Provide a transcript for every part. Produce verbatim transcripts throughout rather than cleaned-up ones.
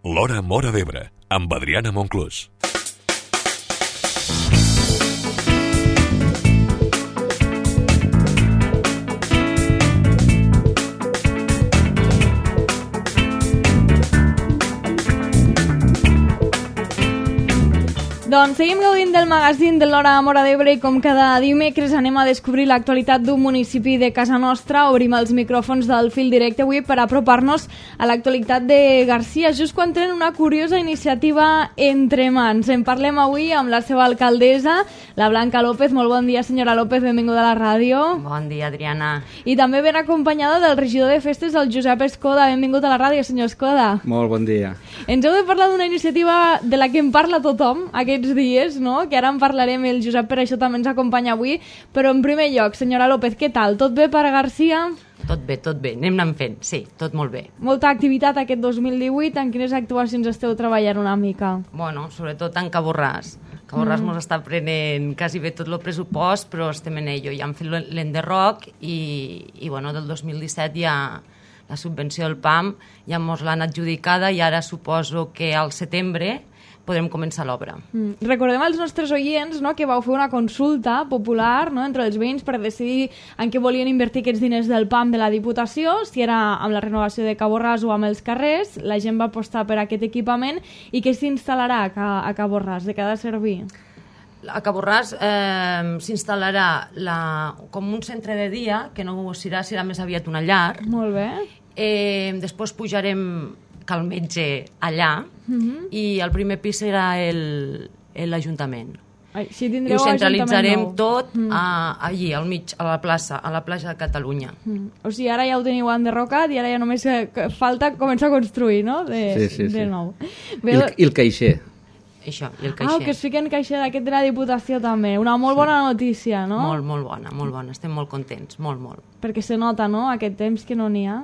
L'Hora Móra d'Ebre, amb Adriana Monclús. Doncs seguim gaudint del magazín de l'Hora Móra d'Ebre i com cada dimecres anem a descobrir l'actualitat d'un municipi de casa nostra. Obrim els micròfons del fil directe avui per apropar-nos a l'actualitat de Garcia, just quan tenen una curiosa iniciativa entre mans. En parlem avui amb la seva alcaldessa, la Blanca López. Molt bon dia, senyora López, benvinguda a la ràdio. Bon dia, Adriana. I també ben acompanyada del regidor de festes, el Josep Escoda. Benvingut a la ràdio, senyor Escoda. Molt bon dia. Ens heu de parlar d'una iniciativa de la que en parla tothom aquests dies, no? Que ara en parlarem, el Josep per això també ens acompanya avui, però en primer lloc, senyora López, què tal? Tot bé per a Garcia? Tot bé, tot bé, anem anant fent, sí, tot molt bé. Molta activitat aquest dos mil divuit, en quines actuacions esteu treballant una mica? Bueno, sobretot en Caborràs. Caborràs mm. mos està prenent quasi bé tot el pressupost, però estem en ello, ja hem fet l'enderroc i, i bueno, del dos mil disset ja la subvenció del P A M ja mos l'han adjudicada i ara suposo que al setembre podrem començar l'obra. Mm. Recordem als nostres oients, no, que vau fer una consulta popular, no, entre els veïns per decidir en què volien invertir aquests diners del P A M de la Diputació, si era amb la renovació de Caborràs o amb els carrers. La gent va apostar per aquest equipament. I què s'instal·larà a, a Caborràs? De què ha de servir? A Caborràs eh, s'instal·larà la, com un centre de dia, que no serà, serà més aviat una llar. Molt bé. Eh, després pujarem cal metge allà, uh-huh. i el primer pis serà l'Ajuntament. Si I ho centralitzarem tot uh-huh. a, allí, al mig, a la plaça, a la plaça de Catalunya. Uh-huh. O sigui, ara ja ho teniu enderrocat i ara ja només falta començar a construir, no? De, sí, sí, de sí. nou. I el, i el caixer. Això, i el caixer. Ah, que es fiquen caixer d'aquest de la Diputació també. Una molt bona notícia, no? Molt, molt bona, molt bona. Estem molt contents, molt, molt. Perquè se nota, no?, aquest temps que no n'hi ha.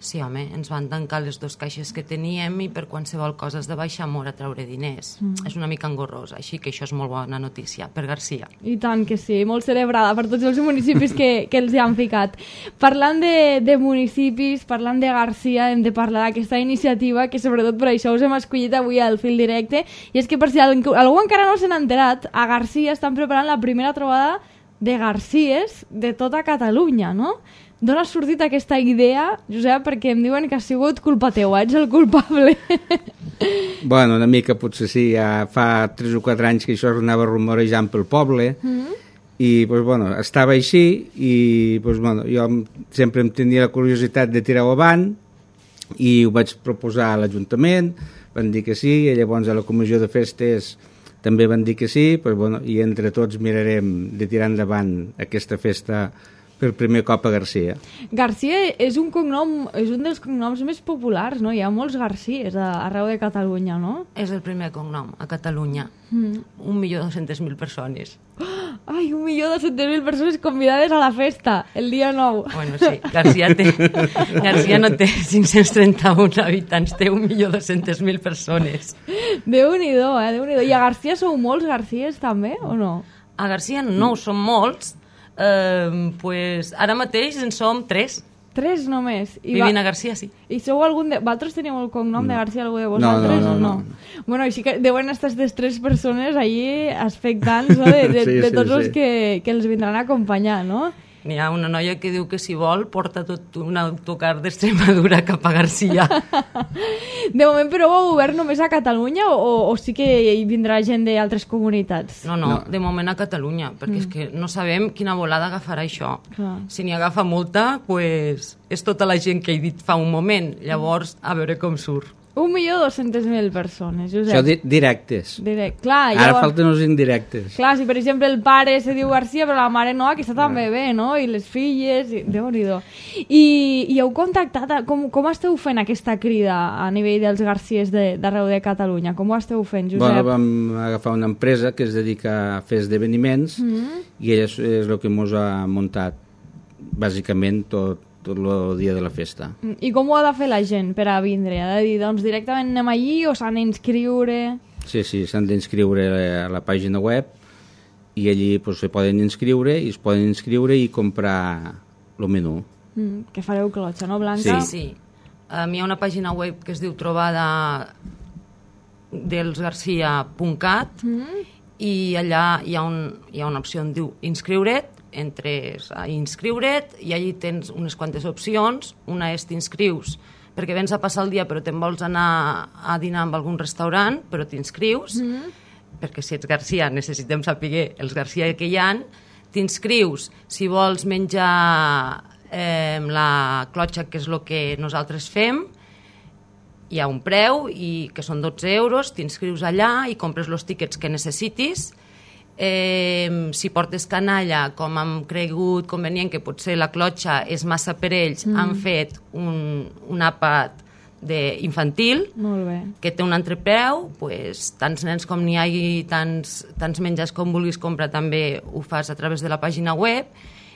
Sí, home, ens van tancar les dues caixes que teníem i per qualsevol cosa has de baixar molt a treure diners. Mm. És una mica engorrós, així que això és molt bona notícia per Garcia. I tant que sí, molt celebrada per tots els municipis que, que els hi han ficat. Parlant de, de municipis, parlant de Garcia, hem de parlar d'aquesta iniciativa que sobretot per això us hem escollit avui al fil directe, i és que per si algú encara no se n'ha enterat, a Garcia estan preparant la primera trobada de Garcies de tota Catalunya, no? D'on ha sortit aquesta idea, Josep? Perquè em diuen que ha sigut culpa teua, ets el culpable. Bueno, una mica potser sí, ja fa tres o quatre anys que això anava rumorejant pel poble, mm-hmm. i pues, bueno, estava així i pues, bueno, jo sempre em tenia la curiositat de tirar-ho avant i ho vaig proposar a l'Ajuntament, van dir que sí, i llavors a la comissió de festes també van dir que sí, pues, bueno, i entre tots mirarem de tirar endavant aquesta festa per primer cop a Garcia. Garcia és un cognom, és un dels cognoms més populars, no? Hi ha molts Garcies arreu de Catalunya, no? És el primer cognom a Catalunya. Mm. Un milió dos-centes mil persones. Ai, un milió dos-centes mil persones convidades a la festa, el dia nou. Bueno, sí, Garcia, té, Garcia no té cinc-cents trenta-un habitants, té un milió dos-centes mil persones. Déu-n'hi-do, eh? Déu-n'hi-do. I a Garcia sou molts Garcies, també, o no? A Garcia no, som molts. Uh, pues, ara mateix en som tres. Tres només? I Vivint va... a Garcia, sí. I sou algun de... Vosaltres teniu el cognom no. de Garcia, algú de vosaltres? No, no, no. no? no. Bueno, així que deuen estar aquestes tres persones allí expectants, no? de, de, sí, de tots sí, els sí. que, que els vindran a acompanyar, no? N'hi ha una noia que diu que si vol porta tot un autocar d'Extremadura cap a Garcia. De moment, però, heu obert només a Catalunya o, o sí que hi vindrà gent d'altres comunitats? No, no, no, de moment a Catalunya, perquè mm. és que no sabem quina volada agafarà això. Clar. Si n'hi agafa molta, pues, és tota la gent que he dit fa un moment. Llavors, a veure com surt. Un milió dos-centes mil persones, Josep. Això di directes. Direct. Clar, Ara llavors... falten els indirectes. Clar, si per exemple el pare se diu Garcia però la mare no, aquesta també bé, no? I les filles, i... Déu-n'hi-do. I, I heu contactat, a... com, com esteu fent aquesta crida a nivell dels Garcies d'arreu de, de Catalunya? Com ho esteu fent, Josep? Bueno, vam agafar una empresa que es dedica a fer esdeveniments mm -hmm. i ella és, és el que ens ha muntat bàsicament tot tot el dia de la festa. I com ho ha de fer la gent per a vindre? Ha de dir, doncs directament anem allí o s'han d'inscriure? Sí, sí, s'han d'inscriure a la pàgina web i allí pues, se poden inscriure i es poden inscriure i comprar el menú. Mm, que fareu clotxa, no, Blanca? Sí, sí. Um, hi ha una pàgina web que es diu trobada delsgarcia punt cat mm. i allà hi ha, un, hi ha una opció on diu inscriure't, entres a inscriure't i allí tens unes quantes opcions. Una és t'inscrius perquè vens a passar el dia però te'n vols anar a dinar amb algun restaurant, però t'inscrius, mm. perquè si ets Garcia necessitem saber els Garcia que hi ha. T'inscrius si vols menjar eh, la clotxa, que és el que nosaltres fem, hi ha un preu, i que són dotze euros, t'inscrius allà i compres els tíquets que necessitis. Eh, si portes canalla, com hem cregut convenient que potser la clotxa és massa per ells, mm. han fet un, un àpat infantil que té un entrepreu, pues, tants nens com n'hi hagi, tants, tants menjars com vulguis comprar, també ho fas a través de la pàgina web.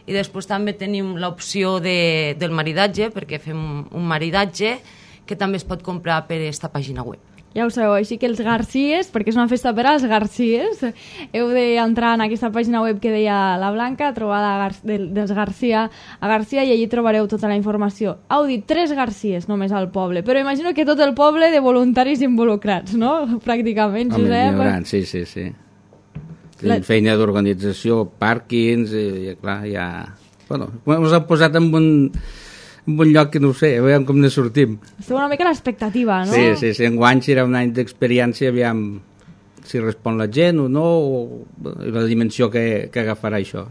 I després també tenim l'opció de, del maridatge, perquè fem un maridatge que també es pot comprar per aquesta pàgina web. Ja ho sabeu, així que els Garcies, perquè és una festa per als Garcies, heu d'entrar en aquesta pàgina web que deia la Blanca, trobada Gar dels Garcia a Garcia, i allí trobareu tota la informació. Heu dit tres Garcies només al poble, però imagino que tot el poble de voluntaris involucrats, no? Pràcticament, Home, Josep. Home, sí, sí, sí. La... feina d'organització, pàrquings, i, i clar, ja... Bueno, ens han posat en un... un bon lloc que no ho sé, veiem com ne sortim. Esteu una mica a l'expectativa, no? Sí, sí, sí, enguany serà un any d'experiència, aviam si respon la gent o no, o la dimensió que, que agafarà això.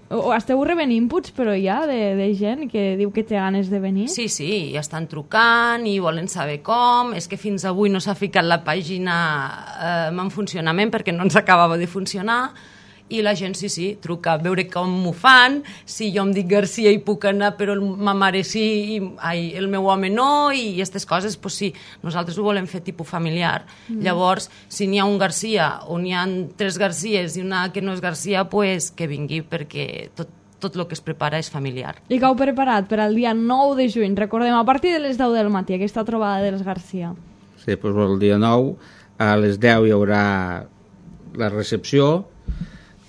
O esteu rebent inputs, però ja, de, de gent que diu que té ganes de venir? Sí, sí, ja estan trucant i volen saber com. És que fins avui no s'ha ficat la pàgina eh, en funcionament perquè no ens acabava de funcionar. I la gent, sí, sí, truca a veure com m'ho fan, si jo em dic Garcia i puc anar, però ma mare sí, i ai, el meu home no, i aquestes coses, doncs sí, nosaltres ho volem fer tipus familiar. Mm. Llavors, si n'hi ha un Garcia o n'hi ha tres Garcies i una que no és Garcia, pues que vingui, perquè tot, tot el que es prepara és familiar. I que heu preparat per al dia nou de juny, recordem, a partir de les deu del matí, aquesta trobada dels Garcia. Sí, doncs el dia nou, a les deu hi haurà la recepció,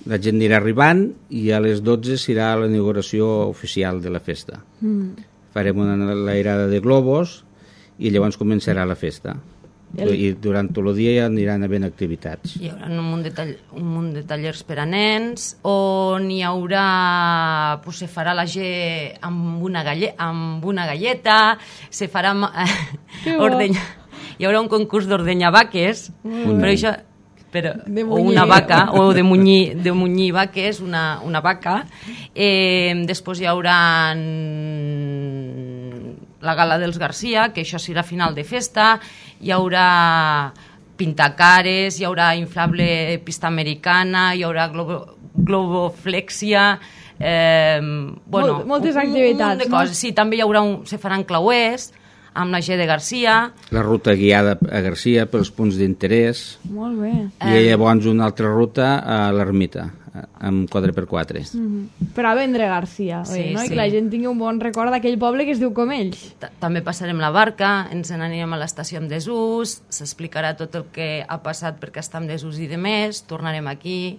la gent anirà arribant i a les dotze serà la inauguració oficial de la festa. Mm. Farem una enlairada de globus i llavors començarà la festa. El... I durant tot el dia ja aniran havent activitats. Hi haurà un munt de, tall... un munt de tallers per a nens, on hi haurà... Pues se farà la gent amb una, galle... amb una galleta, se farà... Ordenya... Hi haurà un concurs d'ordenyar vaques, mm. però això... Però, o una vaca, o de munyir, de munyir vaques, una, una vaca. Eh, després hi haurà la gala dels Garcia, que això serà final de festa, hi haurà pintacares, hi haurà inflable pista americana, hi haurà globo, globoflexia, eh, bueno, Mol, moltes activitats, un munt de coses. No? Sí, també hi haurà un, se faran clauers, amb la G de Garcia. La ruta guiada a Garcia pels punts d'interès. Molt bé. I llavors una altra ruta a l'ermita, amb quatre per quatre. Mm-hmm. Per a vendre Garcia, sí, oi, no? Sí. I que la gent tingui un bon record d'aquell poble que es diu com ells. També passarem la barca, ens n'anirem a l'estació en desús, s'explicarà tot el que ha passat perquè està en desús i de més, tornarem aquí.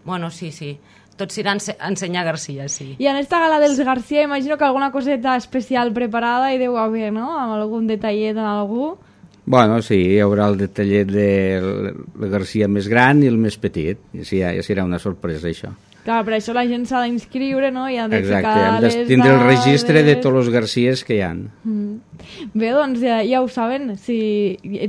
Bueno, sí, sí. Tot s'irà a ensenyar Garcia, sí. I en esta gala dels Garcia imagino que alguna coseta especial preparada hi deu haver, no? Amb algun detallet en algú? Bueno, sí, hi haurà el detallet de la Garcia més gran i el més petit. I sí, ja, ja serà una sorpresa, això. Clar, per això la gent s'ha d'inscriure, no? I ha de Exacte, ficar hem de les tindre el dades... registre de tots els Garcies que hi ha. Mm. Bé, doncs ja, ja ho saben. Si...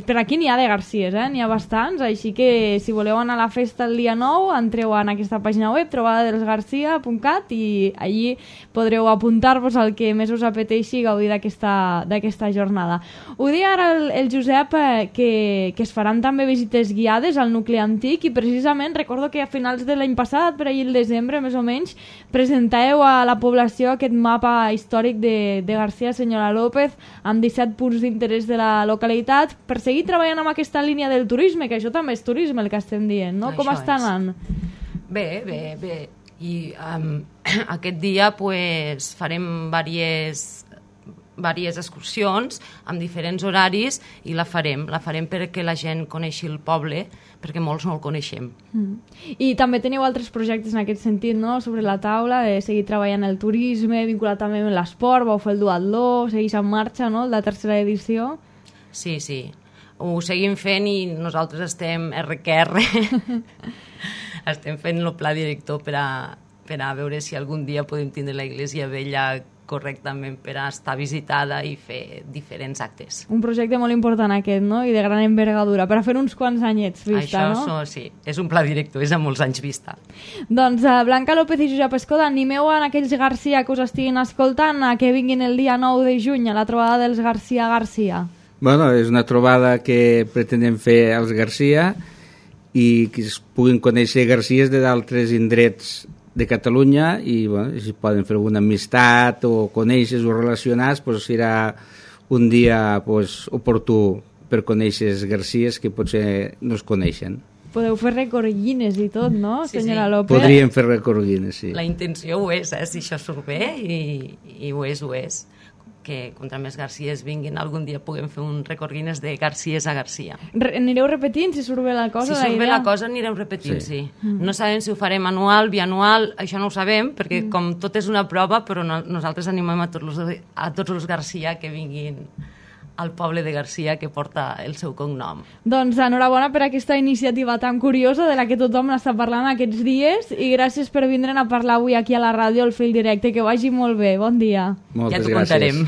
Per aquí n'hi ha de Garcies, eh? N'hi ha bastants, així que si voleu anar a la festa el dia nou, entreu en aquesta pàgina web, trobada dels garcia punt cat, i allí podreu apuntar-vos al que més us apeteixi i gaudir d'aquesta jornada. Ho deia ara el, el Josep, eh, que, que es faran també visites guiades al nucli antic, i precisament recordo que a finals de l'any passat, per ahir el desembre, més o menys, presentàveu a la població aquest mapa històric de, de Garcia Senyora López, amb disset punts d'interès de la localitat, per seguir treballant amb aquesta línia del turisme, que això també és turisme el que estem dient, no? Això Com està anant? Bé, bé, bé. I um, aquest dia pues, farem diverses diverses excursions amb diferents horaris, i la farem, la farem perquè la gent coneixi el poble, perquè molts no el coneixem. Mm. I també teniu altres projectes en aquest sentit, no?, sobre la taula, de seguir treballant el turisme, vinculat també amb l'esport, vau fer el duatló, segueix en marxa, no?, la tercera edició. Sí, sí. ho seguim fent i nosaltres estem erre que erre estem fent el pla director per a, per a veure si algun dia podem tindre la Iglesia Vella correctament per a estar visitada i fer diferents actes. Un projecte molt important aquest, no? I de gran envergadura, per a fer uns quants anyets vista, Això, no? Això sí, és un pla director, és a molts anys vista. Doncs uh, Blanca López i Josep Escoda, animeu en aquells Garcia que us estiguin escoltant a que vinguin el dia nou de juny a la trobada dels Garcia Garcia. Bueno, és una trobada que pretenem fer als Garcia i que es puguin conèixer Garcies de d'altres indrets de Catalunya i bueno, si poden fer alguna amistat o conèixer o relacionar, pues, serà un dia pues, oportú per conèixer els Garcies que potser no es coneixen. Podeu fer recordines i tot, no, Sí, senyora sí. López? Podríem fer recordines, sí. La intenció ho és, eh? Si això surt bé i, i ho és, ho és. Que contra més Garcies vinguin algun dia puguem fer un recordines de Garcies a Garcia. Re anireu repetint si surt bé la cosa? Si surt bé idea? la cosa anirem repetint, sí. Sí. sí. No sabem si ho farem anual, bianual, això no ho sabem, perquè mm. com tot és una prova, però no, nosaltres animem a tots los, a tots els Garcia que vinguin al poble de Garcia que porta el seu cognom. Doncs enhorabona per aquesta iniciativa tan curiosa de la que tothom n'està parlant aquests dies i gràcies per vindre'n a parlar avui aquí a la ràdio al Fil Directe. Que vagi molt bé. Bon dia. Moltes ja t'ho gràcies. contarem.